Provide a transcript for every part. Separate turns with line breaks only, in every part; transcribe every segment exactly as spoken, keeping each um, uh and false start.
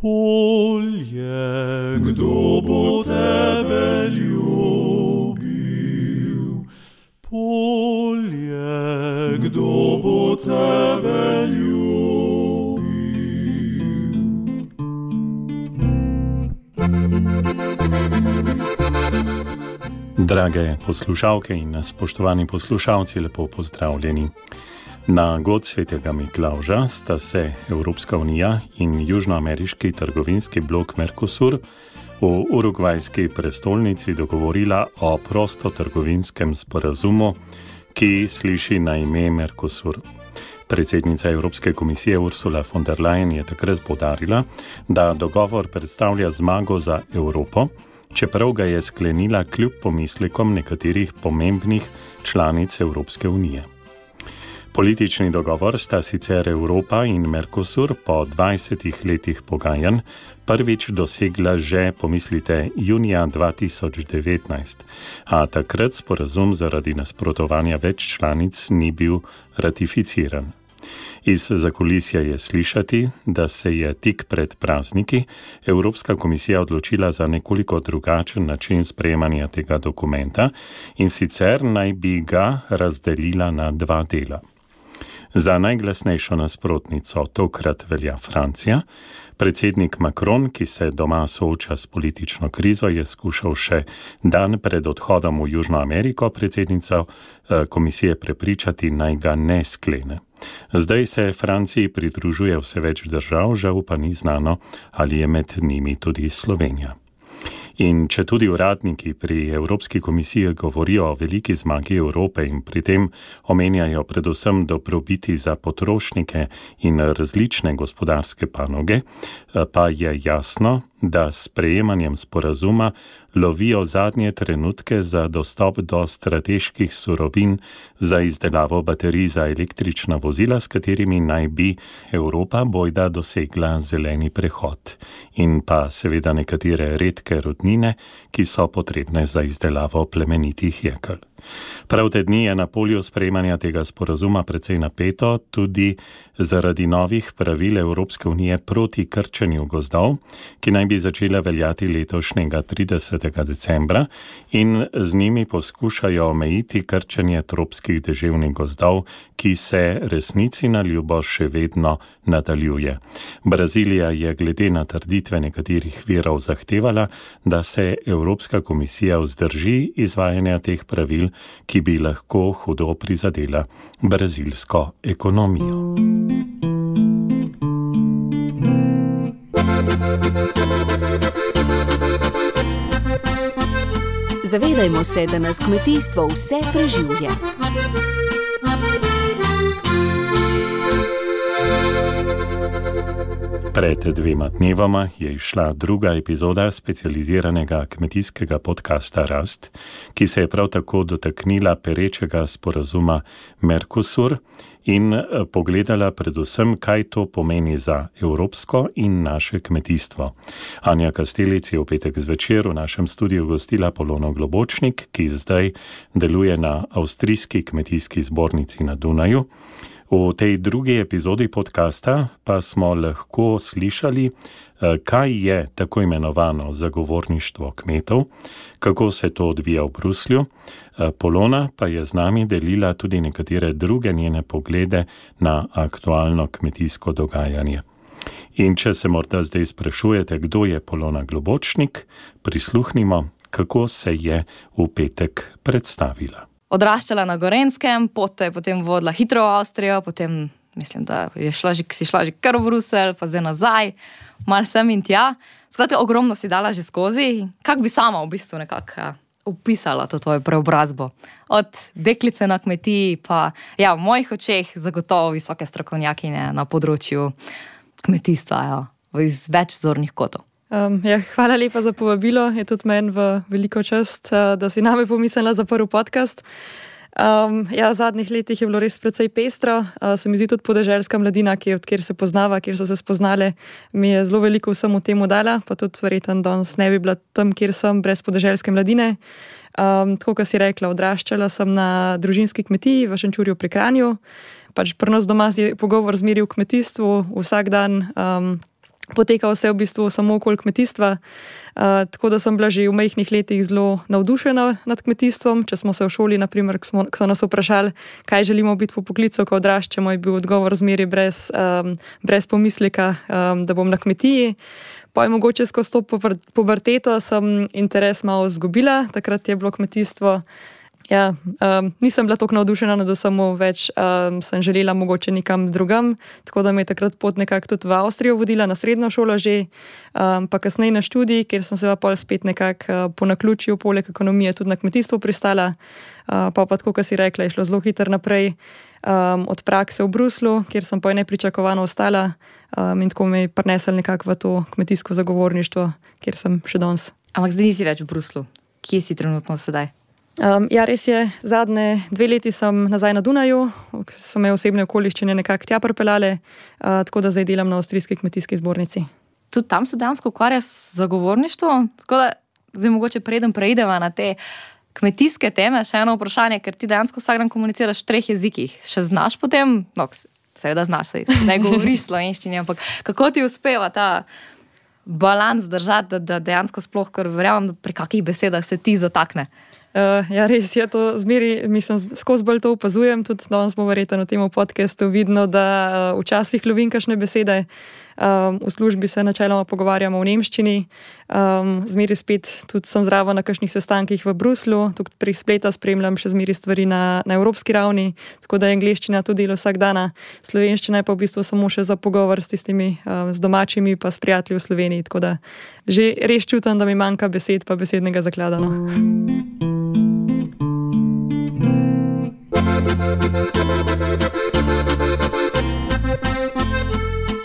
Polje, kdo bo tebe ljubil? Polje, kdo bo tebe ljubil? Drage poslušalke in spoštovani poslušalci, lepo pozdravljeni. Na god svetega Miklavža sta se Evropska unija in južnoameriški trgovinski blok Mercosur v urugvajski prestolnici dogovorila o prostotrgovinskem sporazumu, ki sliši na ime Mercosur. Predsednica Evropske komisije Ursula von der Leyen je takrat poudarila, da dogovor predstavlja zmago za Evropo, čeprav ga je sklenila kljub pomislekom nekaterih pomembnih članic Evropske unije. Politični dogovor sta sicer Evropa in Mercosur po dvajsetih letih pogajanj prvič dosegla že, pomislite, junija dva tisoč devetnajst, a takrat sporazum zaradi nasprotovanja več članic ni bil ratificiran. Iz zakulisja je slišati, da se je tik pred prazniki Evropska komisija odločila za nekoliko drugačen način sprejemanja tega dokumenta in sicer naj bi ga razdelila na dva dela. Za najglasnejšo nasprotnico tokrat velja Francija. Predsednik Macron, ki se doma sooča s politično krizo, je skušal še dan pred odhodom v Južno Ameriko predsednico komisije prepričati, naj ga ne sklene. Zdaj se Franciji pridružuje vse več držav, žal pa ni znano, ali je med njimi tudi Slovenija. In če tudi uradniki pri Evropski komisiji govorijo o veliki zmagi Evrope in pri tem omenjajo predvsem dobrobiti za potrošnike in različne gospodarske panoge, pa je jasno, da s sprejemanjem sporazuma lovijo zadnje trenutke za dostop do strateških surovin za izdelavo baterij za električna vozila, s katerimi naj bi Evropa bojda dosegla zeleni prehod in pa seveda nekatere redke rudnine, ki so potrebne za izdelavo plemenitih jekel. Prav te dni je na polju sprejemanja tega sporazuma precej napeto tudi zaradi novih pravil Evropske unije proti krčenju gozdov, ki naj bi začela veljati letošnjega tridesetega decembra in z njimi poskušajo omejiti krčenje tropskih deževnih gozdov, ki se resnici na ljubo še vedno nadaljuje. Brazilija je glede na trditve nekaterih virov zahtevala, da se Evropska komisija vzdrži izvajanja teh pravil, ki bi lahko hudo prizadela brazilsko ekonomijo.
Zavedajmo se, da nas kmetijstvo vse preživlja.
Pred dvema dnevoma je izšla druga epizoda specializiranega kmetijskega podcasta Rast, ki se je prav tako dotaknila perečega sporazuma Mercosur in pogledala predvsem, kaj to pomeni za evropsko in naše kmetijstvo. Anja Kastelic je v petek zvečer v našem studiu gostila Polono Globočnik, ki zdaj deluje na Avstrijski kmetijski zbornici na Dunaju. V tej drugi epizodi podcasta pa smo lahko slišali, kaj je tako imenovano zagovorništvo kmetov, kako se to odvija v Bruslju. Polona pa je z nami delila tudi nekatere druge njene poglede na aktualno kmetijsko dogajanje. In če se morda zdaj sprašujete, kdo je Polona Globočnik, prisluhnimo, kako se je v petek predstavila.
Odraščala na Gorenjskem, pot je potem vodila hitro v Avstrijo, potem mislim, da je šla že, si šla že kar v Bruselj, pa zdaj nazaj, malo sem in tja. Skratka, ogromno si dala že skozi. Kako bi sama v bistvu nekako opisala to tvojo preobrazbo? Od deklice na kmetiji, pa ja, v mojih očeh zagotovo visoke strokovnjakinje na področju kmetijstva, ja, iz več zornih kotov.
Um, ja, hvala lepa za povabilo, je tudi meni v veliko čast, da si name pomislila za prvi podcast. Um, ja, v zadnjih letih je bilo res precej pestro, uh, se mi zdi tudi podeželska mladina, ki, kjer se poznava, kjer so se spoznale, mi je zelo veliko vsemu temu dala, pa tudi verjetno danes ne bi bila tam, kjer sem, brez podeželske mladine. Um, tako, kot si rekla, odraščala sem na družinski kmetiji v Šenčurju pri Kranju, pač pri nas doma je pogovor zmeri v kmetijstvu, vsak dan. Um, poteka vse v bistvu samo okoli kmetijstva, uh, tako da sem bila že v majhnih letih zelo navdušena nad kmetijstvom. Če smo se v šoli, naprimer, ko, smo, ko so nas vprašali, kaj želimo biti po poklicu, ko odraščamo, je bil odgovor zmeri brez, um, brez pomisleka, um, da bom na kmetiji. Pa je mogoče skozi to puberteto sem interes malo izgubila, takrat je bilo kmetijstvo. Ja, um, nisem bila toliko navdušena, da samo več um, sem želela mogoče nekam drugam, tako da me je takrat pot nekako tudi v Avstrijo vodila na srednjo šolo že, um, pa kasneje na študij, kjer sem se pa pol spet nekako uh, po naključju poleg ekonomije tudi na kmetijstvo pristala, uh, pa pa tako, kot si rekla, je šlo zelo hitro naprej um, od prakse v Bruslu, kjer sem pa je nepričakovano ostala um, in tako me je prinesel nekako v to kmetijsko zagovorništvo, kjer sem še danes.
Ampak zdaj nisi več v Bruslu. Kje si trenutno sedaj?
Um, ja, res je, zadnje dve leti sem nazaj na Dunaju, so me osebne okoliščine nekako tja pripeljale, uh, tako da zdaj delam na Avstrijski kmetijski zbornici.
Tudi tam se dejansko ukvarjaš z zagovorništvom, tako da zdaj mogoče preden preideva na te kmetijske teme, še eno vprašanje, ker ti dejansko vsak dan komuniciraš v treh jezikih. Še znaš potem? No, seveda znaš, sej, ne govoriš slovenščini, ampak kako ti uspeva ta balans držati, da, da dejansko sploh, ker verjamem, da pri kakih besedah se ti zatakne?
Uh, ja, res je to zmeri, mislim, skozi bolj to opazujem, tudi danes smo verjetno na tem podcastu vidno, da uh, včasih lovim kakšne besede. Um, v službi se načeloma pogovarjamo v nemščini, um, zmeri spet tudi sem zraven na kakšnih sestankih v Bruslu, tudi pri spleta spremljam še zmeri stvari na, na evropski ravni, tako da je angleščina to delo vsak dana, slovenščina je pa v bistvu samo še za pogovor s tistimi, um, z domačimi pa s prijatelji v Sloveniji, tako da že res čutim, da mi manjka besed pa besednega zaklada. No.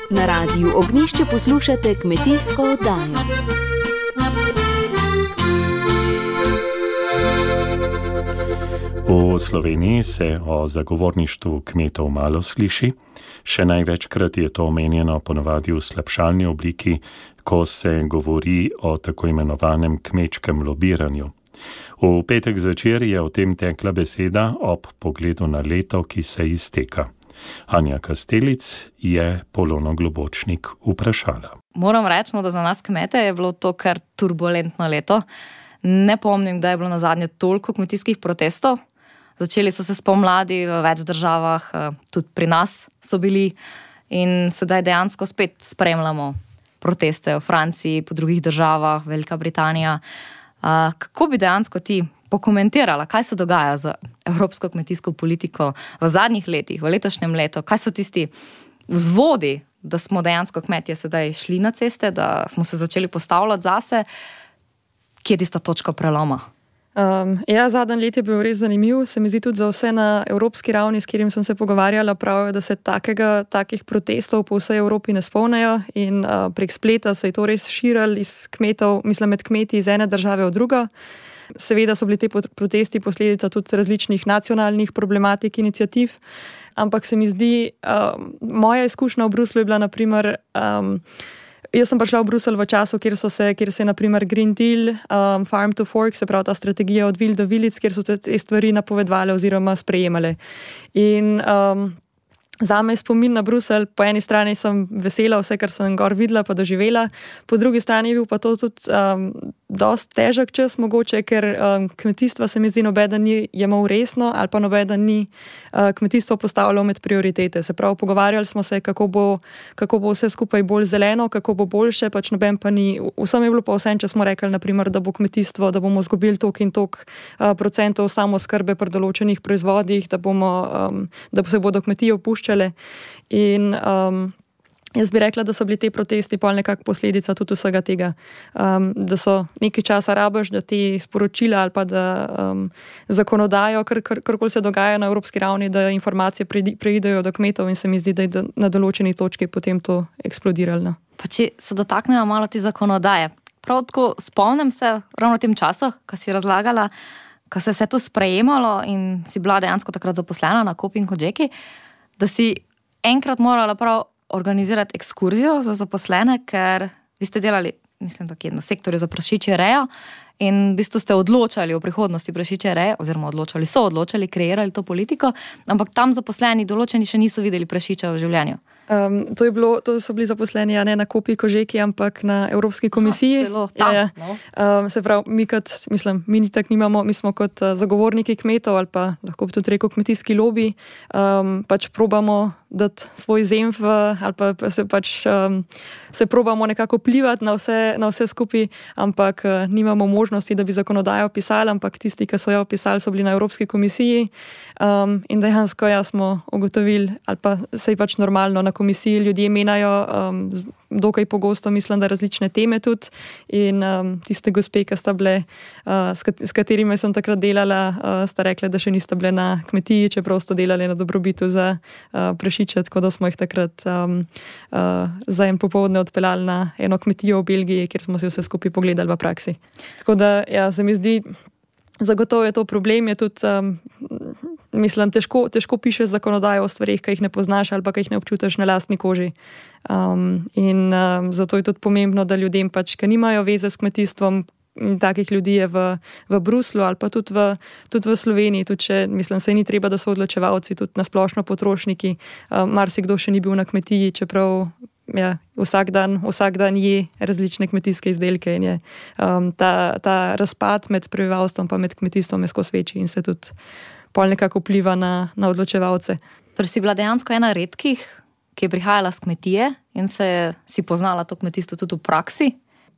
Na Radiu Ognjišče poslušate kmetijsko oddajo.
V Sloveniji se o zagovorništvu kmetov malo sliši. Še največkrat je to omenjeno ponavadi v slabšalni obliki, ko se govori o tako imenovanem kmečkem lobiranju. V petek zvečer je o tem tekla beseda ob pogledu na leto, ki se izteka. Anja Kastelic je Polono Globočnik vprašala.
Moram reči, no, da za nas kmete je bilo to kar turbulentno leto. Ne pomnim, da je bilo na zadnje toliko kmetijskih protestov. Začeli so se spomladi v več državah, tudi pri nas so bili in sedaj dejansko spet spremljamo proteste v Franciji, po drugih državah, Velika Britanija. Uh, kako bi dejansko ti pokomentirala, kaj se dogaja z evropsko kmetijsko politiko v zadnjih letih, v letošnjem letu, kaj so tisti vzvodi, da smo dejansko kmetje sedaj šli na ceste, da smo se začeli postavljati zase, kje je tista točka preloma?
Um, ja, zadnji let je bil res zanimiv, se mi zdi tudi za vse na evropski ravni, s katerim sem se pogovarjala, pravijo, da se takega, takih protestov po vsej Evropi ne spomnejo in uh, prek spleta se je to res širilo iz kmetov, mislim med kmeti iz ene države v drugo. Seveda so bili te protesti posledica tudi različnih nacionalnih problematik, iniciativ, ampak se mi zdi, um, moja izkušnja v Bruslu je bila naprimer um, jaz sem prišla v Bruselj v času, kjer, so se, kjer se je naprimer Green Deal, um, Farm to Fork, se pravi ta strategija od vil do vilic, kjer so se te stvari napovedovale oziroma sprejemale. In um, zame je spomin na Bruselj, po eni strani sem vesela vse, kar sem gor videla pa doživela, po drugi strani je bil pa to tudi um, dosti težek čas mogoče, ker um, kmetijstva se mi zdi nobeden ni jemal resno ali pa nobeden ni uh, kmetijstvo postavljalo med prioritete. Se pravi, pogovarjali smo se, kako bo, kako bo vse skupaj bolj zeleno, kako bo boljše, pač noben pa ni. Vsem je bilo pa vsem, če smo rekli, naprimer, da bo kmetijstvo, da bomo zgubili toliko in toliko uh, procentov samoskrbe pri določenih proizvodih, da, bomo, um, da se bodo kmetije opuščale. In um, jaz bi rekla, da so bili te protesti pol nekako posledica tudi vsega tega, um, da so nekaj časa rabiš, da te sporočila ali pa da um, zakonodajo, kar, kar, karkoli se dogaja na evropski ravni, da informacije preidejo do kmetov in se mi zdi, da je na določeni točki potem to eksplodiralo.
Pa če se dotaknejo malo te zakonodaje, prav tako spomnim se ravno v tem času, ko si razlagala, ko se je to sprejemalo in si bila dejansko takrat zaposlena na Kopi in Kodžeki, da si enkrat morala prav organizirati ekskurzijo za zaposlene, ker vi ste delali, mislim, tako na sektorju za prašičje rejo in v bistvu ste odločali o prihodnosti prašičje reje, oziroma odločali so, odločali, kreirali to politiko, ampak tam zaposleni določeni še niso videli prašiča v življenju.
Um, to, je bilo, to so bili zaposleni ja, ne na Kopi Kožeki, ampak na Evropski komisiji.
Zelo tam,
ja, ja.
No.
Um, se pravi, mi kot, mislim, mi ni tak nimamo, mi smo kot uh, zagovorniki kmetov ali pa lahko bi tudi rekel kmetijski lobi, um, pač probamo dati svoj zemlj ali pa se pač um, se probamo nekako vplivati na vse, na vse skupaj, ampak uh, nimamo možnosti, da bi zakonodajo pisali, ampak tisti, ki so jo pisali, so bili na Evropski komisiji um, in dejansko ja smo ugotovili, ali pa se je pač normalno na komisiji ljudje menjajo um, dokaj pogosto, mislim, da različne teme tudi in um, tiste gospe, ki sta bile, uh, s, kat s katerimi sem takrat delala, uh, sta rekla, da še nista bile na kmetiji, čeprav sta delali na dobrobitu za uh, prašiče, tako da smo jih takrat um, uh, za en popoldne odpeljali na eno kmetijo v Belgiji, kjer smo si vse skupaj pogledali v praksi. Tako da ja, se mi zdi, zagotovo je to problem, je tudi um, mislim, težko, težko pišeš zakonodajo o stvarih, ki jih ne poznaš ali pa ki jih ne občutiš na lastni koži. Um, in um, zato je tudi pomembno, da ljudem pač, ki nimajo veze s kmetijstvom, in takih ljudi je v, v Bruslu ali pa tudi v, tudi v Sloveniji, tudi če, mislim, se ni treba, da so odločevalci, tudi na splošno potrošniki, um, marsikdo še ni bil na kmetiji, čeprav ja, vsak dan, vsak dan je različne kmetijske izdelke in je um, ta, ta razpad med prebivalstvom pa med kmetijstvom je skozi večji in se tudi pol nekako vpliva na, na odločevalce.
Torej si bila dejansko ena redkih, ki je prihajala z kmetije in se je, si poznala to kmetijstvo tudi v praksi.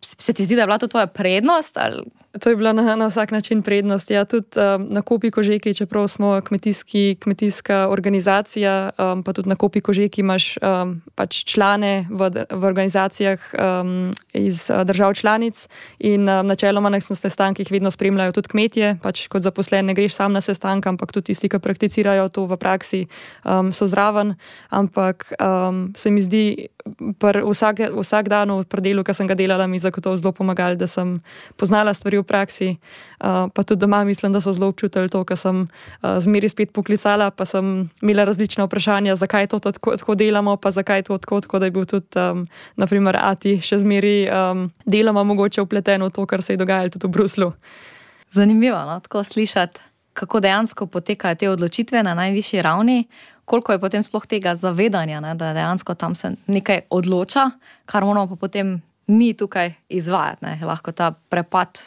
Se ti zdi, da je bila to tvoja prednost? Ali?
To je bila na, na vsak način prednost. Ja, tudi um, na Kopi Kožeki, čeprav smo kmetijski, kmetijska organizacija, um, pa tudi na Kopi Kožeki imaš um, pač člane v, v organizacijah um, iz uh, držav članic in um, načeloma na sestankih vedno spremljajo tudi kmetje, pač kot zaposlen ne greš sam na sestank, ampak tudi tisti, ki prakticirajo to v praksi, um, so zraven, ampak um, se mi zdi, pr vsak, vsak dan v predelu, ki sem ga delala, mi zagotovo zelo pomagali, da sem poznala stvari v praksi, uh, pa tudi doma mislim, da so zelo občutili to, ker sem uh, zmeri spet poklicala, pa sem imela različna vprašanja, zakaj to tako, tako delamo, pa zakaj to tako, tako da je bil tudi um, naprimer Ati še zmeri um, deloma mogoče vpleten v to, kar se je dogajalo tudi v Bruslu.
Zanimivo, no? Tako slišati, kako dejansko potekajo te odločitve na najvišji ravni, koliko je potem sploh tega zavedanja, ne? Da dejansko tam se nekaj odloča, kar moramo pa potem mi tukaj izvajati. Ne? Lahko ta prepad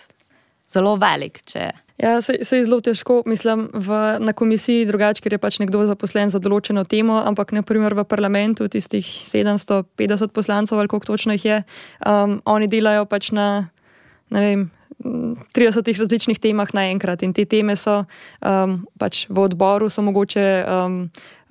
zelo velik, če...
Ja, se, se je zelo težko, mislim, v, na komisiji drugače, ker je pač nekdo zaposlen za določeno temo, ampak naprimer v parlamentu tistih sedemsto petdeset poslancov, ali koliko točno jih je, um, oni delajo pač na, ne vem, tridesetih različnih temah naenkrat in te teme so um, pač v odboru so mogoče, um,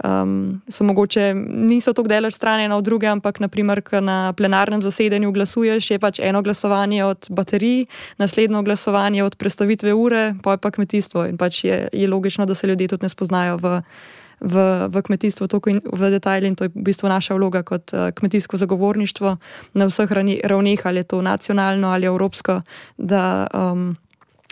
um, so mogoče niso tako daleč stran ena od druge, ampak naprimer, ko na plenarnem zasedanju glasuješ, je pač eno glasovanje od baterij, naslednjo glasovanje od prestavitve ure, pa je pa kmetijstvo in pač je, je logično, da se ljudje tudi ne spoznajo v V, v kmetijstvu, toliko in v detajli in to je v bistvu naša vloga kot uh, kmetijsko zagovorništvo na vseh ravneh, ali je to nacionalno ali evropsko, da um,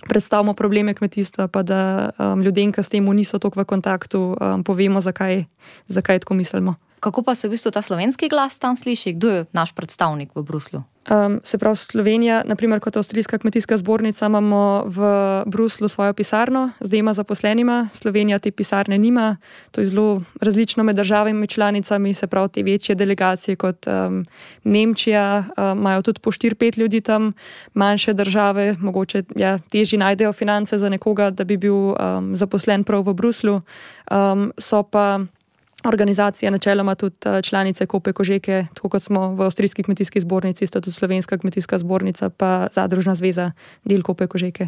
predstavimo probleme kmetijstva, pa da um, ljudem, ki s tem niso toliko v kontaktu, um, povemo, zakaj, zakaj tako mislimo.
Kako pa se v bistvu ta slovenski glas tam sliši? Kdo je naš predstavnik v Bruslu?
Um, se pravi, Slovenija, naprimer kot Avstrijska kmetijska zbornica, imamo v Bruslu svojo pisarno z dvema zaposlenima. Slovenija te pisarne nima. To je zelo različno med državami članicami, se pravi, te večje delegacije kot um, Nemčija, um, imajo tudi po štiri pet ljudi tam, manjše države, mogoče ja, težje najdejo finance za nekoga, da bi bil um, zaposlen prav v Bruslu. Um, so pa organizacija načeloma tudi članice Kope Kožeke, tako kot smo v Avstrijski kmetijski zbornici, sta tudi Slovenska kmetijska zbornica pa Zadružna zveza del Kope Kožeke.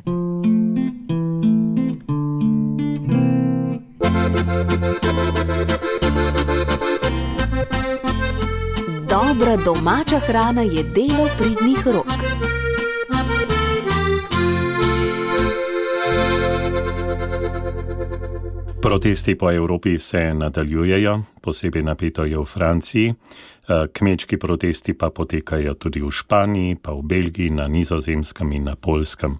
Dobra domača hrana je delo pridnih rok.
Protesti po Evropi se nadaljujejo, posebej napeto je v Franciji, kmečki protesti pa potekajo tudi v Španiji, pa v Belgiji, na Nizozemskem in na Poljskem.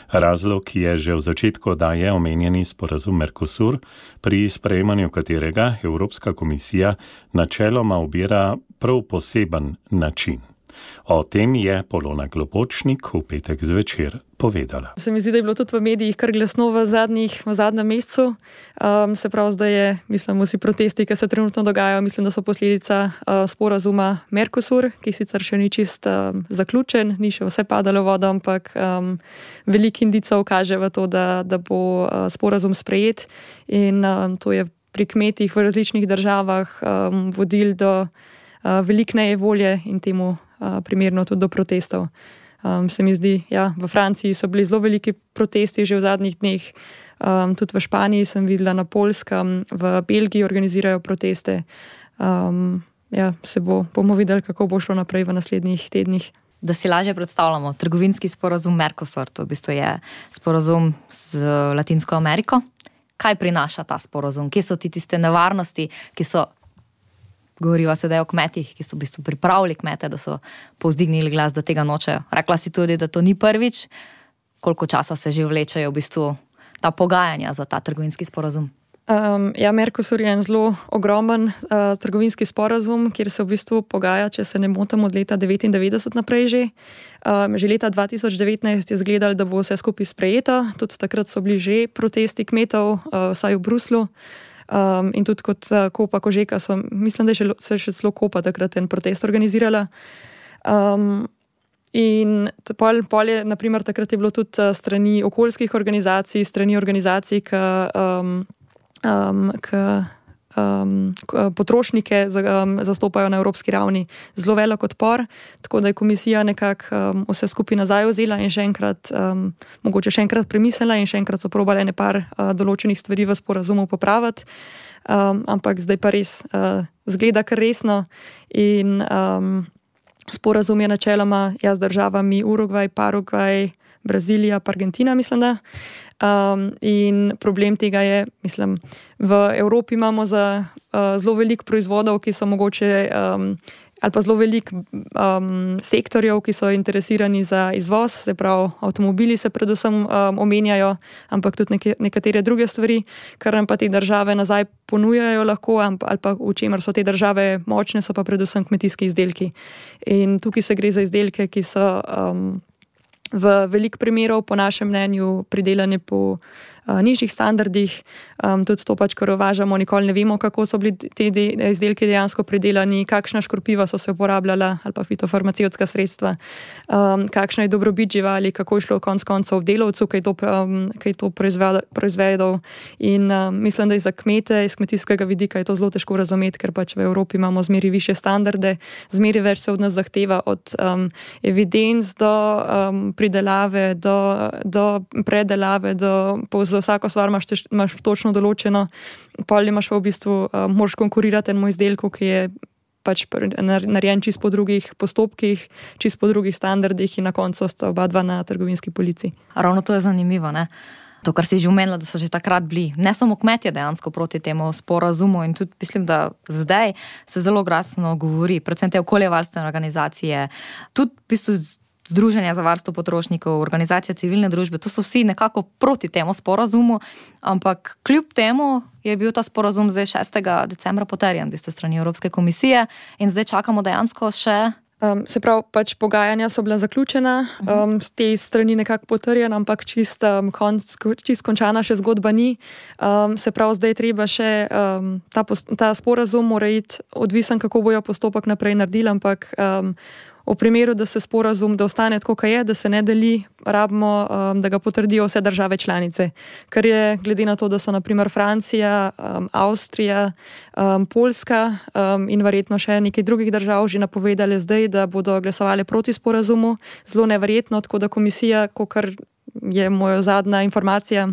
Razlog je že v začetku oddaje omenjeni sporazum Mercosur, pri sprejemanju katerega Evropska komisija načeloma ubira prav poseben način. O tem je Polona Globočnik v petek zvečer povedala.
Se mi zdi, da je bilo tudi v medijih kar glasno v, zadnjih, v zadnjem mesecu. Um, se pravi, da je, mislim, vsi protesti, ki se trenutno dogajajo, mislim, da so posledica uh, sporazuma Mercosur, ki sicer še ni čist um, zaključen, ni še vse padalo vodo, ampak um, veliko indicov kaže v to, da, da bo uh, sporazum sprejet in um, to je pri kmetih v različnih državah um, vodil do uh, veliko nejevolje in temu uh, primerno tudi do protestov. Um, se mi zdi, ja, v Franciji so bili zelo veliki protesti že v zadnjih dneh, um, tudi v Španiji sem videla, na Poljskem, v Belgiji organizirajo proteste. Um, ja, se bo, bomo videli, kako bo šlo naprej v naslednjih tednih.
Da si lažje predstavljamo, trgovinski sporazum Mercosur, to v bistvu je sporazum z Latinsko Ameriko. Kaj prinaša ta sporazum? Kje so ti tiste nevarnosti, ki so, govoriva sedaj o kmetih, ki so v bistvu pripravili kmete, da so povzdignili glas, da tega nočejo. Rekla si tudi, da to ni prvič. Koliko časa se že vlečejo v bistvu ta pogajanja za ta trgovinski sporazum?
Um, ja, Mercosur je en zelo ogromen uh, trgovinski sporazum, kjer se v bistvu pogaja, če se ne motim, od leta devetindevetdeset naprej že. Um, že leta dva tisoč devetnajst je izgledalo, da bo vse skupaj sprejeto. Tudi takrat so bili že protesti kmetov, uh, vsaj v Bruslu. Um, in tudi kot uh, Kopa Kožeka so, mislim, da je še, se še celo Kopa takrat en protest organizirala. Um, in pol, pol je, naprimer, takrat je bilo tudi uh, strani okoljskih organizacij, strani organizacij, ki um, Um, k, um, k, potrošnike um, zastopajo na evropski ravni, zelo velik odpor, tako da je komisija nekako um, vse skupaj nazaj vzela in še enkrat, um, mogoče še enkrat premislila in še enkrat so probali nekaj uh, določenih stvari v sporazumu popraviti, um, ampak zdaj pa res uh, zgleda kar resno in um, sporazum je načeloma ja, z državami Urugvaj, Paragvaj, Brazilija, pa Argentina, mislim da. Um, in problem tega je, mislim, v Evropi imamo za uh, zelo veliko proizvodov, ki so mogoče, um, ali pa zelo veliko um, sektorjev, ki so interesirani za izvoz, se pravi, avtomobili se predvsem um, omenjajo, ampak tudi neke, nekatere druge stvari, kar nam pa te države nazaj ponujajo lahko, ali pa v čemer so te države močne, so pa predvsem kmetijski izdelki. In tukaj se gre za izdelke, ki so um, v veliko primerov, po našem mnenju, pridelane po uh, nižjih standardih. Um, tudi to pač, kar uvažamo, nikoli ne vemo, kako so bili te de- izdelki dejansko pridelani, kakšna škropiva so se uporabljala ali pa fitofarmacevtska sredstva, um, kakšna je dobrobit živali, kako je šlo konec koncev delavcu, ki je to, um, ki je to proizvedel. In um, mislim, da je za kmete iz kmetijskega vidika je to zelo težko razumeti, ker pač v Evropi imamo zmeri više standarde, zmeri več se od nas zahteva, od um, evidenc do um, pridelave, do, do predelave, do, za vsako stvar imaš, teš, imaš točno določeno, pol imaš v bistvu, uh, moraš konkurirati enemu izdelku, ki je pač narejen čist po drugih postopkih, čist po drugih standardih in na koncu sta oba dva na trgovinski polici.
Ravno to je zanimivo, ne? To, kar si že omenila, da so že takrat bili, ne samo kmetje dejansko proti temu sporazumu in tudi mislim, da zdaj se zelo glasno govori, predvsem te okoljevarstvene organizacije, tudi v bistvu Združenja za varstvo potrošnikov, organizacija civilne družbe, to so vsi nekako proti temu sporazumu, ampak kljub temu je bil ta sporazum zdaj šestega decembra potrjen v bistvu strani Evropske komisije in zdaj čakamo dejansko še.
Um, se pravi, pač pogajanja so bila zaključena, um, z te strani nekako potrjena, ampak čist, um, konc, čist končana še zgodba ni. Um, se pravi, zdaj treba še um, ta, ta sporazum mora iti odvisen, kako bojo postopek naprej naredili, ampak um, v primeru, da se sporazum, da ostane tako, kaj je, da se ne deli, rabimo, um, da ga potrdijo vse države članice. Ker je, glede na to, da so naprimer Francija, um, Avstrija, um, Poljska um, in verjetno še nekaj drugih držav že napovedali zdaj, da bodo glasovali proti sporazumu, zelo neverjetno, tako da komisija, kakor je moja zadnja informacija,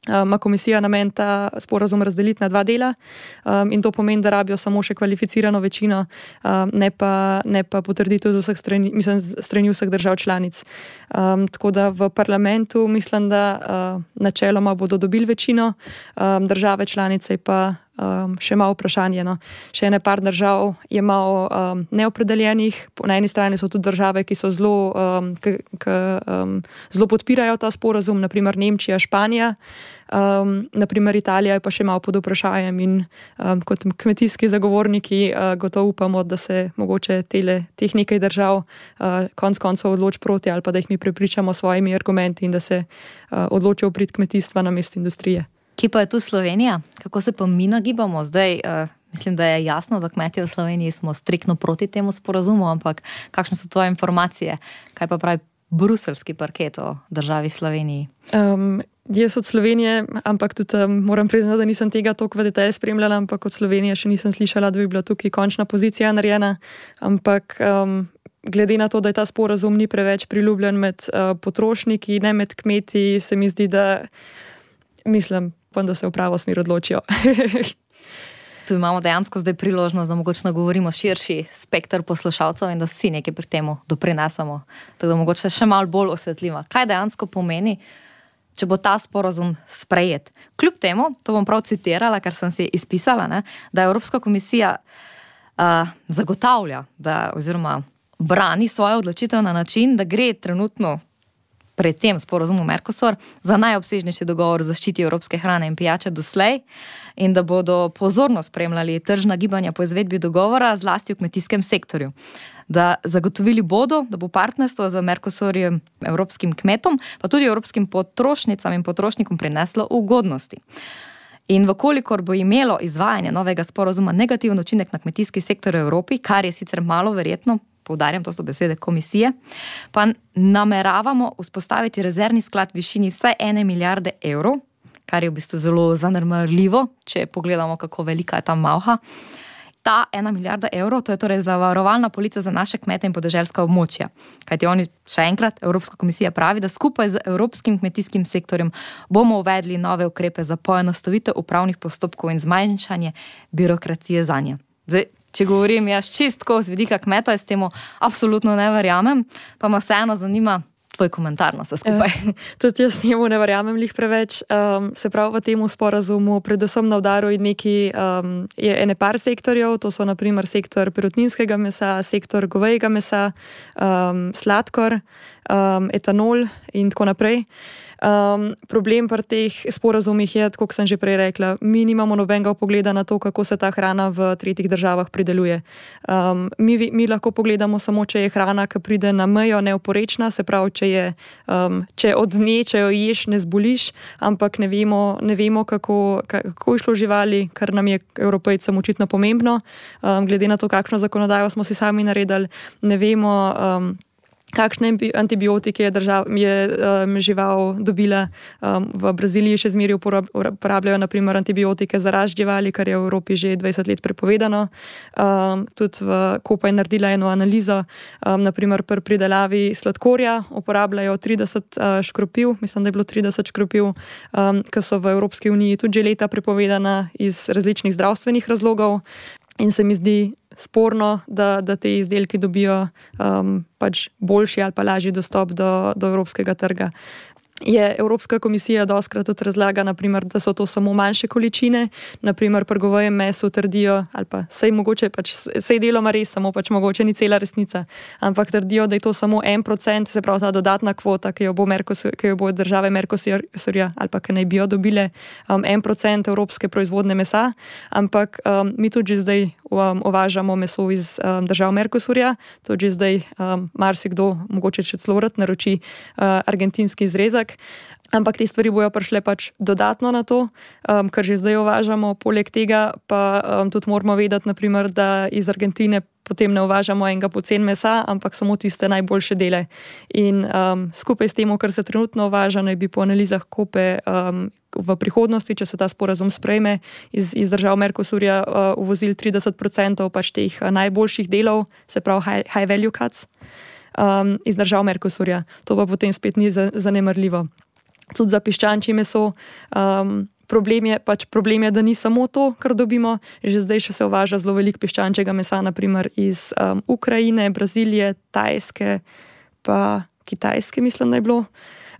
ima komisija namen ta sporazum razdeliti na dva dela um, in to pomeni, da rabijo samo še kvalificirano večino, um, ne pa, ne pa potrditev z vseh strani, mislim, strani vseh držav članic. Um, tako da v parlamentu mislim, da uh, načeloma bodo dobili večino, um, države članice pa um, še malo vprašanje. No. Še ene par držav je malo um, neopredeljenih. Na eni strani so tudi države, ki so zelo, um, k, k, um, zelo podpirajo ta sporazum, naprimer Nemčija, Španija. Um, naprimer Italija je pa še malo pod vprašanjem in um, kot kmetijski zagovorniki uh, gotovo upamo, da se mogoče tele, teh nekaj držav uh, konc koncev odloči proti ali pa da jih mi prepričamo s svojimi argumenti in da se uh, odločijo prid kmetijstva namesto industrije.
Kje pa je tu Slovenija? Kako se pa mi nagibamo? Zdaj, uh, mislim, da je jasno, da kmetje v Sloveniji smo striktno proti temu sporazumu, ampak kakšne so tvoje informacije? Kaj pa pravi bruselski parket o državi Sloveniji?
Um, Jaz od Slovenije, ampak tudi um, moram priznati, da nisem tega toliko v detalj spremljala, ampak od Slovenije še nisem slišala, da bi bila tukaj končna pozicija narejena. Ampak um, glede na to, da je ta sporazum ni preveč priljubljen med uh, potrošniki, ne med kmeti, se mi zdi, da mislim, pa, da se v pravo smer odločijo.
Tu imamo dejansko zdaj priložnost, da mogoče nagovorimo širši spekter poslušalcev in da vsi nekaj pri temu doprinesemo. Tako da mogoče še malo bolj osvetljiva. Kaj dejansko pomeni, če bo ta sporazum sprejet? Kljub temu, to bom prav citirala, kar sem si izpisala, ne, da Evropska komisija uh, zagotavlja, da, oziroma brani svojo odločitev na način, da gre trenutno predvsem sporazumu Mercosur za najobsežnejši dogovor o zaščiti evropske hrane in pijače doslej in da bodo pozorno spremljali tržna gibanja po izvedbi dogovora, zlasti v kmetijskem sektorju. Da zagotovili bodo, da bo partnerstvo z Mercosurjem evropskim kmetom, pa tudi evropskim potrošnicam in potrošnikom prineslo ugodnosti. In vkolikor bo imelo izvajanje novega sporazuma negativen učinek na kmetijski sektor v Evropi, kar je sicer malo verjetno, poudarjam, to so besede komisije, pa nameravamo vzpostaviti rezervni sklad v višini vsaj ene milijarde evrov, kar je v bistvu zelo zanemarljivo, če pogledamo, kako velika je ta malha. Ta ena milijarda evrov, to je torej zavarovalna polica za naše kmete in podeželska območja. Kajti oni, še enkrat, Evropska komisija pravi, da skupaj z evropskim kmetijskim sektorjem bomo uvedli nove ukrepe za poenostavitev upravnih postopkov in zmanjšanje birokracije zanje. Zdaj, če govorim jaz čistko z vidika kmeta, jaz temu absolutno ne verjamem, pa me vseeno zanima tvoj komentar na vse skupaj.
Uh, tudi jaz njemu ne verjamem lih preveč. Um, se pravi, v temu sporazumu predvsem na udaru je neki um, je ene par sektorjev, to so na primer sektor perutninskega mesa, sektor govejega mesa, um, sladkor, um, etanol in tako naprej. Um, problem pri teh sporazumih je, kot sem že prej rekla, mi nimamo nobenega pogleda na to, kako se ta hrana v tretjih državah prideluje. Um, mi, mi lahko pogledamo samo, če je hrana, ki pride na mejo, neoporečna, se pravi, če, je, um, če od nje, če jo ješ, ne zboliš, ampak ne vemo, ne vemo kako, kako je šlo živali, kar nam je Evropejcem očitno pomembno. Um, glede na to, kakšno zakonodajo smo si sami naredili, ne vemo, um, kakšne antibiotike je, držav, je um, žival dobila. Um, v Braziliji še zmeraj uporabljajo naprimer antibiotike za rast živali, kar je v Evropi že dvajset let prepovedano. Um, tudi v Kopa je naredila eno analizo, um, naprimer pri pridelavi sladkorja uporabljajo trideset uh, škropiv, mislim, da je bilo trideset škropiv, um, ki so v Evropski uniji tudi že leta prepovedana iz različnih zdravstvenih razlogov. In se mi zdi sporno, da, da te izdelki dobijo um, pač boljši ali pa lažji dostop do, do evropskega trga. Je Evropska komisija dostkrat tudi razlaga, naprimer, da so to samo manjše količine, naprimer pri govejem mesu trdijo, ali pa sej mogoče, pač sej deloma res, samo pač mogoče ni cela resnica, ampak trdijo, da je to samo en procent, se pravi ta dodatna kvota, ki jo bo, Mercosur, ki jo bo države Mercosurja ali pa ki naj bi jo dobile, um, en procent evropske proizvodne mesa, ampak um, mi tudi že zdaj um, uvažamo meso iz um, držav Mercosurja, tudi že zdaj um, marsikdo, mogoče še celo rad naroči uh, argentinski izrezek. Ampak te stvari bojo prišle pač dodatno na to, um, kar že zdaj uvažamo. Poleg tega pa um, tudi moramo vedeti, naprimer, da iz Argentine potem ne uvažamo enega pocen mesa, ampak samo tiste najboljše dele. In um, skupaj s tem, kar se trenutno uvaža, naj bi po analizah Kope um, v prihodnosti, če se ta sporazum sprejme, iz, iz držav Mercosurja uh, uvozili trideset procentov pač teh uh, najboljših delov, se pravi high, high value cuts. Um, iz držav Mercosurja. To pa potem spet ni zanemarljivo. Tudi za piščančje meso. Um, problem, je, pač problem je, da ni samo to, kar dobimo. Že zdaj še se uvaža zelo veliko piščančjega mesa, naprimer iz um, Ukrajine, Brazilije, Tajske, pa Kitajske, mislim, da je bilo.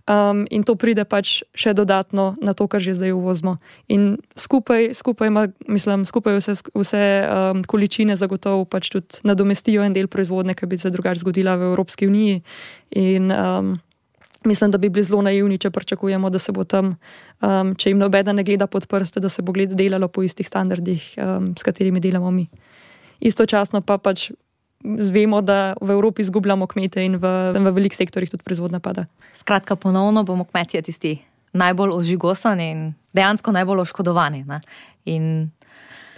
um, in to pride pač še dodatno na to, kar že zdaj uvozimo. In skupaj, skupaj, ima, mislim, skupaj vse, vse um, količine zagotovo pač tudi nadomestijo en del proizvodnje, ki bi se drugače zgodila v Evropski uniji. In um, mislim, da bi bili zelo naivni, če pričakujemo, da se bo tam, um, če jim nobeda ne gleda pod prste, da se bo gled delalo po istih standardih, um, s katerimi delamo mi. Istočasno pa pač vemo, da v Evropi izgubljamo kmete in v, v velikih sektorjih tudi proizvodnja pada.
Skratka, ponovno bomo kmetje tisti najbolj ožigosani in dejansko najbolj oškodovani. Ne? In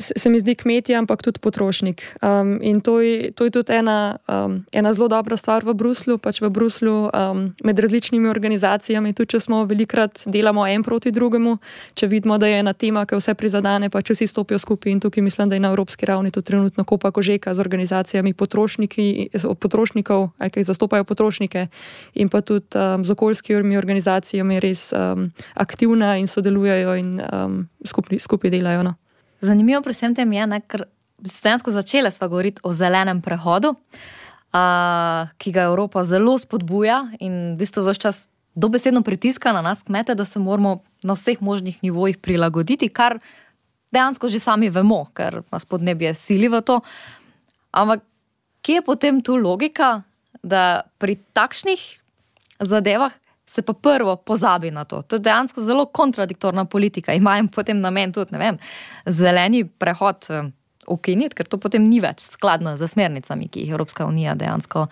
se mi zdi kmetje, ampak tudi potrošnik. Um, in to je, to je tudi ena, um, ena zelo dobra stvar v Bruslju, pač v Bruslju um, med različnimi organizacijami, tudi če smo velikrat delamo en proti drugemu, če vidimo, da je ena tema, ki vse prizadane, pač vsi stopijo skupaj in tukaj mislim, da je na evropski ravni tudi trenutno kopa kožeka z organizacijami potrošnikov, ki zastopajo potrošnike in pa tudi um, z okoljskimi organizacijami res um, aktivna in sodelujejo in um, skupaj, skupaj delajo. No.
Zanimivo pri vsem tem je, ne, ker dejansko začele sva govoriti o zelenem prehodu, uh, ki ga Evropa zelo spodbuja in v bistvu ves čas dobesedno pritiska na nas kmete, da se moramo na vseh možnih nivojih prilagoditi, kar dejansko že sami vemo, ker nas podnebje sili v to. Ampak kje je potem tu logika, da pri takšnih zadevah se pa prvo pozabi na to. To je dejansko zelo kontradiktorna politika. Imajo potem namen tudi, ne vem, zeleni prehod ukiniti, ker to potem ni več skladno z smernicami, ki jih Evropska unija dejansko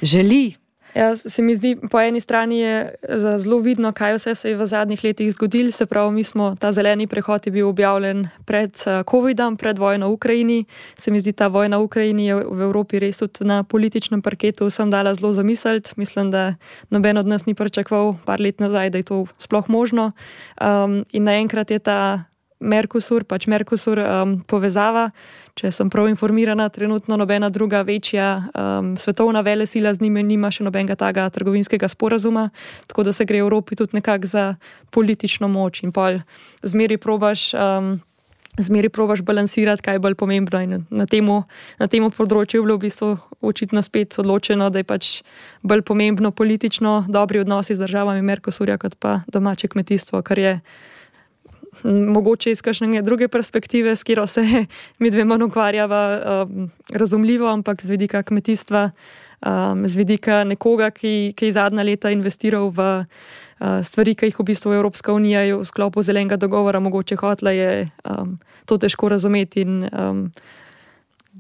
želi.
Ja, se mi zdi, po eni strani je zelo vidno, kaj vse se je v zadnjih letih zgodilo. Se pravi, mi smo, ta zeleni prehod je bil objavljen pred covidom, pred vojno v Ukrajini. Se mi zdi, ta vojna v Ukrajini je v Evropi res tudi na političnem parketu vsem dala zelo zamisliti. Mislim, da noben od nas ni pričakoval par let nazaj, da je to sploh možno. Um, in naenkrat je ta Mercosur, pač Mercosur um, povezava, če sem prav informirana, trenutno nobena druga večja um, svetovna velesila z njime nima še nobenega taga trgovinskega sporazuma, tako da se gre v Evropi tudi nekako za politično moč in pol zmeri probaš, um, zmeri probaš balansirati, kaj je bolj pomembno in na temu, na temu področju je bilo v bistvu očitno spet odločeno, da je pač bolj pomembno politično dobri odnosi z državami Mercosurja kot pa domače kmetijstvo, kar je mogoče iz kakšne druge perspektive, s katero se mi dve manj ukvarjava, um, razumljivo, ampak z vidika kmetijstva, um, z vidika nekoga, ki, ki je zadnja leta investiral v uh, stvari, ki jih v bistvu Evropska unija v sklopu zelenega dogovora mogoče hotla, je um, to težko razumeti. In, um,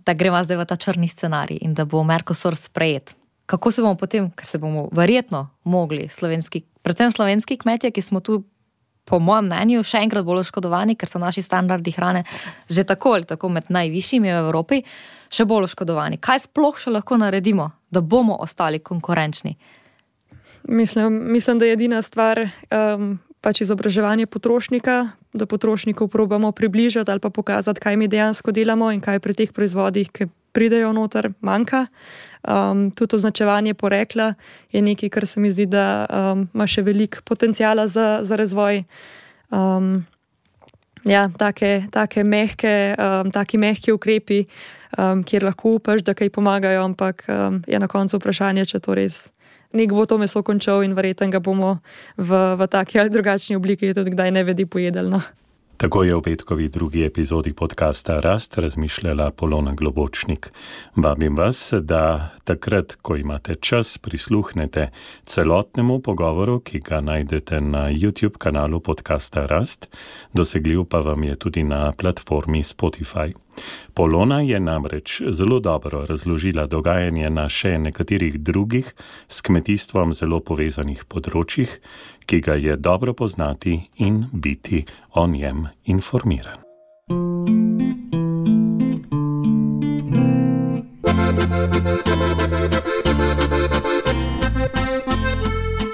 da greva zdaj v ta črni scenarij in da bo Mercosur sprejet. Kako se bomo potem, ker se bomo verjetno mogli slovenski, predvsem slovenski kmetje, ki smo tu po mojem mnenju še enkrat bolj oškodovani, ker so naši standardi hrane že tako ali tako med najvišjimi v Evropi, še bolj oškodovani. Kaj sploh še lahko naredimo, da bomo ostali konkurenčni?
Mislim, mislim da je edina stvar um, pač izobraževanje potrošnika, da potrošnikov probamo približati ali pa pokazati, kaj mi dejansko delamo in kaj pri teh proizvodih, ki pridejo noter, manjka. Um, tudi označevanje porekla je nekaj, kar se mi zdi, da um, ima še veliko potencijala za, za razvoj. Um, ja, take, take mehke, um, taki mehki ukrepi, um, kjer lahko upaš, da kaj pomagajo, ampak um, je na koncu vprašanje, če to res nek bo to meso končal in verjetno ga bomo v, v taki ali drugačni obliki tudi kdaj ne vedi pojedeli. No.
Tako je v petkovi drugi epizodi podcasta Rast razmišljala Polona Globočnik. Vabim vas, da takrat, ko imate čas, prisluhnete celotnemu pogovoru, ki ga najdete na YouTube kanalu podcasta Rast, dosegljiv pa vam je tudi na platformi Spotify. Polona je namreč zelo dobro razložila dogajanje na še nekaterih drugih s kmetijstvom zelo povezanih področjih, ki ga je dobro poznati in biti o njem informiran.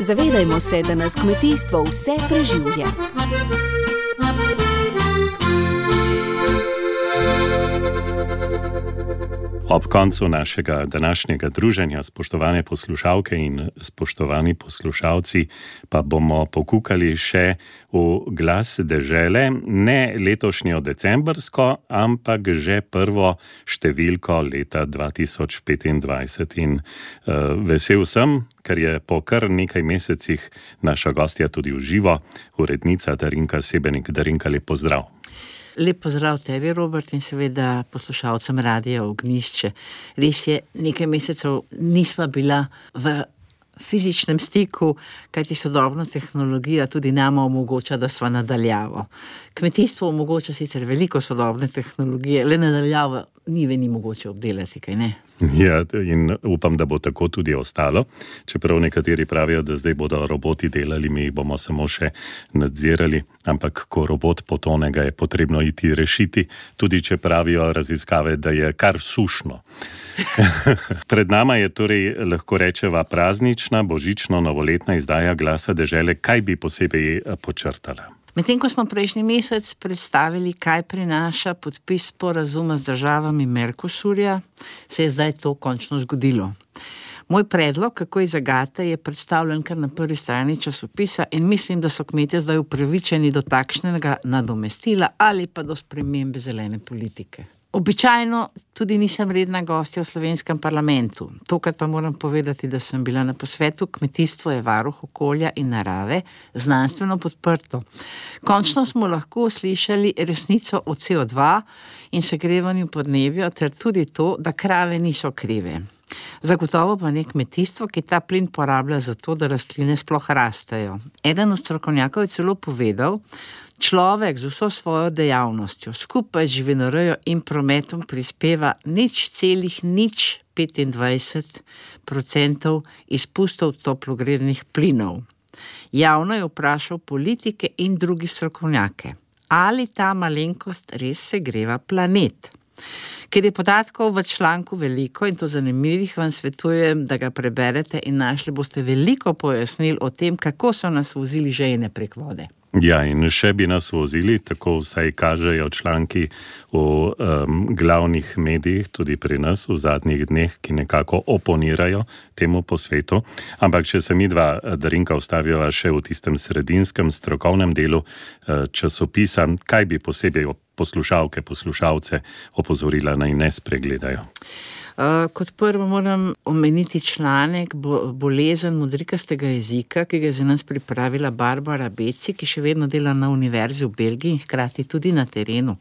Zavedajmo se, da nas kmetijstvo vse preživlja.
Ob koncu našega današnjega druženja, spoštovane poslušalke in spoštovani poslušalci, pa bomo pokukali še v glas dežele, ne letošnjo decembrsko, ampak že prvo številko leta dva tisoč petindvajset. In uh, vesel sem, ker je po kar nekaj mesecih naša gostja tudi v živo, urednica Darinka Sebenik. Darinka, lep pozdrav.
Lep pozdrav tebi, Robert, in seveda poslušalcem Radia Ognjišče. Res je, nekaj mesecev nisva bila v fizičnem stiku, kajti sodobna tehnologija tudi nama omogoča, da sva nadaljavo. Kmetijstvo omogoča sicer veliko sodobne tehnologije, le nadaljavo ni veni mogoče obdelati, kaj ne?
Ja, in upam, da bo tako tudi ostalo. Čeprav nekateri pravijo, da zdaj bodo roboti delali, mi bomo samo še nadzirali, ampak ko robot potone, ga je potrebno iti rešiti, tudi če pravijo raziskave, da je kar sušno. Pred nama je torej, lahko rečeva, praznična, božično-novoletna izdaja Glasa dežele. Kaj bi posebej počrtala?
Medtem ko smo prejšnji mesec predstavili, kaj prinaša podpis sporazuma z državami Mercosurja, se je zdaj to končno zgodilo. Moj predlog, kako iz zagate, je predstavljen kar na prvi strani časopisa in mislim, da so kmetje zdaj upravičeni do takšnega nadomestila ali pa do spremembe zelene politike. Običajno tudi nisem redna gostja v slovenskem parlamentu. Tokrat pa moram povedati, da sem bila na posvetu Kmetijstvo je varuh okolja in narave, znanstveno podprto. Končno smo lahko slišali resnico o C O dva in segrevanju podnebja, ter tudi to, da krave niso krive. Zagotovo pa ne kmetijstvo, ki ta plin porablja za to, da rastline sploh rastejo. Eden od strokovnjakov je celo povedal, človek z vso svojo dejavnostjo, skupaj z živinorejo in prometom prispeva nič celih nič petindvajset procentov izpustov toplogrednih plinov. Javno je vprašal politike in drugi strokovnjake, ali ta malenkost res segreva planet. Ker je podatkov v članku veliko in to zanimivih, vam svetujem, da ga preberete in našli boste veliko pojasnil o tem, kako so nas vozili žejne prek vode.
Ja, in še bi nas vozili, tako vsaj kažejo članki v um, glavnih medijih, tudi pri nas v zadnjih dneh, ki nekako oponirajo temu posvetu. Ampak če se mi dva, Darinka, ostaviva še v tistem sredinskem strokovnem delu uh, časopisa, kaj bi posebej poslušalke, poslušalce opozorila, naj ne spregledajo?
Uh, kot prvo moram omeniti članek bo, Bolezen modrikastega jezika, ki ga je za nas pripravila Barbara Beci, ki še vedno dela na univerzi v Belgiji in hkrati tudi na terenu.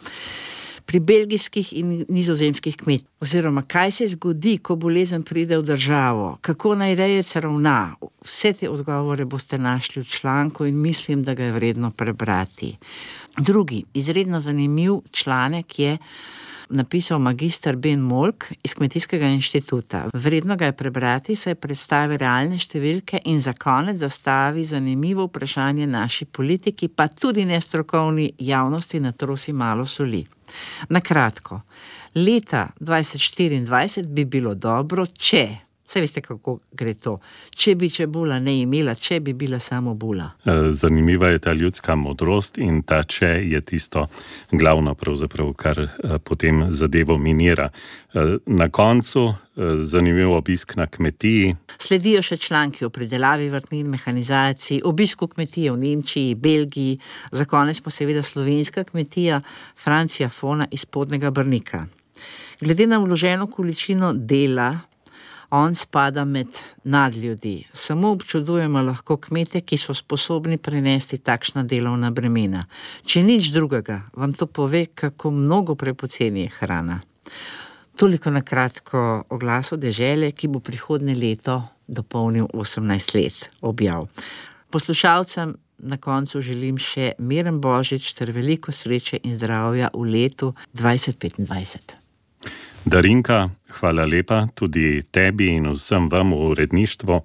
Pri belgijskih in nizozemskih kmetih. Oziroma, kaj se zgodi, ko bolezen pride v državo, kako naj rejec ravna. Vse te odgovore boste našli v članku in mislim, da ga je vredno prebrati. Drugi, izredno zanimiv članek je napisal magister Ben Molk iz Kmetijskega inštituta. Vredno ga je prebrati, saj predstavi realne številke in za konec zastavi zanimivo vprašanje naši politiki, pa tudi nestrokovni javnosti natrosi malo soli. Na kratko, leta dvajset štiriindvajset bi bilo dobro, če, saj veste, kako gre to, če bi čebula ne imela, če bi bila samo bula.
Zanimiva je ta ljudska modrost in ta če je tisto glavno pravzaprav, kar potem zadevo minira. Na koncu zanimiv obisk na kmetiji.
Sledijo še članki o pridelavi vrtnin, mehanizaciji, obisku kmetije v Nemčiji, Belgiji, za konec pa seveda slovenska kmetija Francija Fona iz Spodnjega Brnika. Glede na vloženo količino dela, on spada med nadljudi. Samo občudujemo lahko kmete, ki so sposobni prenesti takšna delovna bremena. Če nič drugega, vam to pove, kako mnogo prepoceni je hrana. Toliko na kratko o Glasu dežele, ki bo prihodnje leto dopolnil osemnajst let, objav. Poslušalcem na koncu želim še miren božič ter veliko sreče in zdravja v letu dvajset petindvajset.
Darinka, hvala lepa tudi tebi in vsem vam v uredništvu.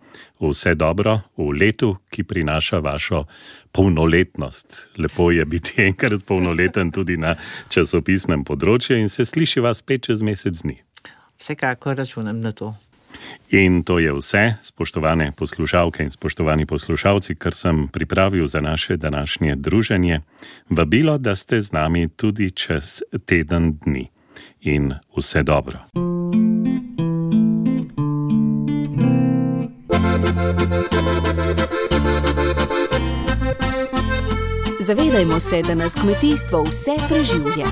Vse dobro v letu, ki prinaša vašo polnoletnost. Lepo je biti enkrat polnoleten tudi na časopisnem področju in se sliši vas spet čez mesec dni.
Vsekakor računam na to.
In to je vse, spoštovane poslušalke in spoštovani poslušalci, kar sem pripravil za naše današnje druženje. Vabilo, da ste z nami tudi čez teden dni. In vse dobro.
Zavedajmo se, da nas kmetijstvo vse preživlja.